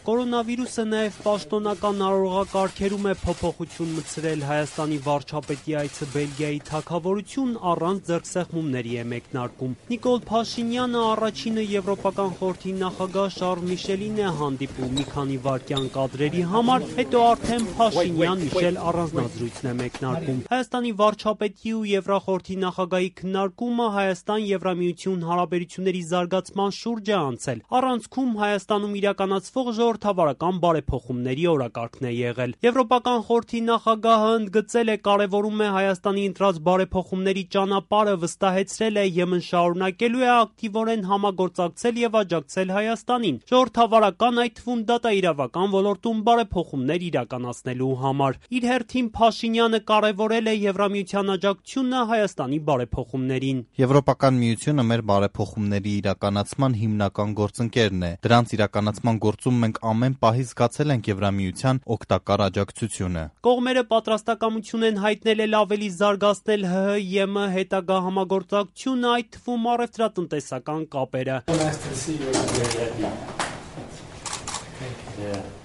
Կորոնավիրուսը նաև պաշտոնական արարողակարգերում է փոփոխություն մտցրել. Հայաստանի վարչապետի այցը Բելգիայի թագավորություն առանց ձեռքսեղմումների է մեկնարկում։ Նիկոլ Փաշինյանը առաջինը Եվրոպական խորհրդի նախագահ Շարլ Միշելին է հանդիպում մի քանի վայրկյան կադրերի համար, հետո արդեն Փաշինյան-Միշել առանձնազրույցն է մեկնարկում։ Հայաստանի վարչապետի ու Եվրախորհրդի նախագահի քննարկումը Հայաստան-Եվրամիություն հարաբերությունների զարգացման շուրջ է անցել։ Առանցքում Հայաստանում իրականացվող ժողովրդավարական բարեփոխումների օրակարգն է եղել։ Եվրոպական խորհրդի նախագահը ընդգծել է կարևորում է Հայաստանի ընտրած բարեփոխումների ճանապարհը, վստահեցրել է ԵՄ շարունակելու է ակտիվորեն համագործակցել եւ աջակցել Հայաստանին ժողովրդավարական, այդ թվում դատաիրավական ոլորտում բարեփոխումներ իրականացնելու համար։ Իր հերթին Փաշինյանը կարևորել է Եվրամիության աջակցությունը Հայաստանի բարեփոխումներին։ Եվրոպական միությունը մեր բարեփոխումների իրականացման հիմնական գործընկերն է։ Դրանց իրականացման գործում մենք ամեն պահի զգացել ենք Եվրամիության օգտակար աջակցությունը։ Կողմերը պատրաստակամություն են հայտնել էլ ավելի զարգացնել ՀՀ-ԵՄ հետագա համագործակցությունը, այդ թվում առևտրատնտեսական կապերը։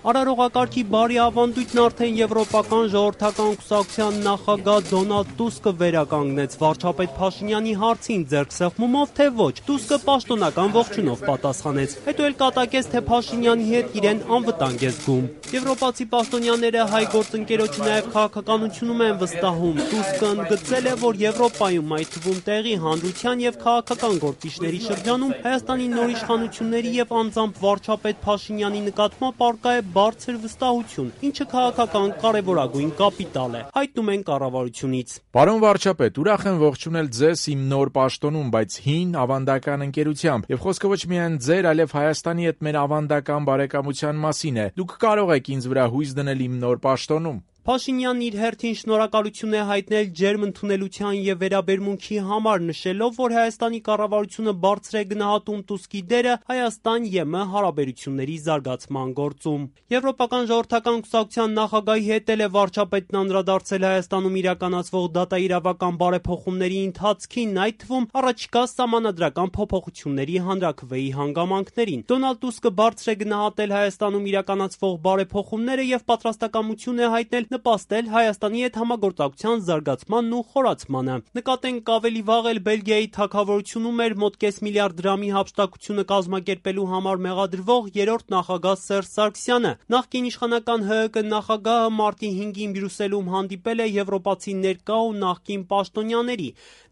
Արարողակարգի բարի ավանդույթն արդեն Եվրոպական ժողովրդական կուսակցության նախագահ Դոնալդ Տուսկը վերականգնեց վարչապետ Փաշինյանի հարցին ձեռքսեղմումով, թե ոչ։ Տուսկը պաշտոնական ողջունով պատասխանեց, հետո էլ կատակեց, թե Փաշինյանի հետ իրեն անվտանգ է զգում։ Եվրոպացի պաշտոնյաները հայ գործընկերոջը նաև քաղաքականությունում են վստահում։ Տուսկը ընդգծել է, որ Եվրոպայում, այդ թվում տեղի հանրության եւ քաղաքական գործիչների շրջանում Հայաստանի նոր իշխանությունների եւ անձամբ վարչապետ Փաշինյանի նկատմամբ առկա է բարձր վստահություն, ինչը քաղաքական կարևորագույն կապիտալ է, հայտնում են կառավարությունից։ Պարոն վարչապետ, ուրախ եմ ողջունել ձեզ իմ նոր պաշտոնում, բայց հին ավանդական ընկերությամբ, եւ խոսքը ոչ միայն ձեր, այլև Հայաստանի հետ մեր ավանդական բարեկամության մասին է։ Դուք կարող եք ինձ վրա հույս դնել իմ նոր պաշտոնում։ Փաշինյանն իր հերթին շնորհակալություն է հայտնել ջերմ ընդունելության եւ վերաբերմունքի համար, նշելով, որ Հայաստանի կառավարությունը բարձր է գնահատում Տուսկի դերը Հայաստան-ԵՄ հարաբերությունների զարգացման գործում։ Եվրոպական ժողովրդական կուսակցության նախագահի հետ էլ է վարչապետն անդրադարձել Հայաստանում իրականացվող դատաիրավական բարեփոխումների ընթացքին, այդ թվում առաջիկա սահմանադրական փոփոխությունների հանրաքվեի հանգամանքներին։ Դոնալդ Տուսկը բարձր է գնահատել Հայաստանում իրականացվող բարեփոխումները եւ պատրաստակամություն է հայտնել նպաստել Հայաստանի հետ համագործակցության զարգացմանն ու խորացմանը։ Նկատենք ավելի վաղ էլ Բելգիայի թագավորությունում էր մոտ կես միլիարդ դրամի հափշտակությունը կազմակերպելու համար մեղադրվող երրորդ նախագահ Սերժ Սարգսյանը։ Նախկին իշխանական ՀՀԿ նախագահը մարտի 5-ին Բրյուսելում հանդիպել է եվրոպացի ներկա ու նախկին պաշտոնյաների,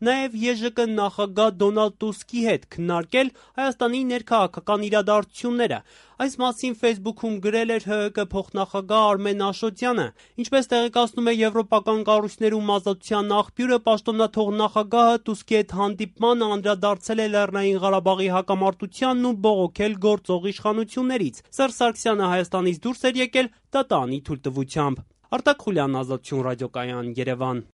նաև ԵԺԿ նախագահ Դոնալդ Տուսկի հետ քննարկել Հայաստանի ներքաղաքական իրադարձությունները։ Այս մասին Facebook-ում գրել էր ՀՀԿ փոխնախագահ Արմեն Աշոտյանը։ Ինչպես տեղեկացնում է եվրոպական կառույցներում ազատության աղբյուրը, պաշտոնաթող նախագահը Տուսկի հետ հանդիպմանը անդրադարձել է Լեռնային Ղարաբաղի հակամարտությանն ու բողոքել գործող իշխանություններից։ Սերժ Սարգսյանը Հայաստանից դուրս էր եկել դատարանի թույլտվությամբ։ Արտակ Խուլյան, Ազատություն ռադիոկայան, Երևան։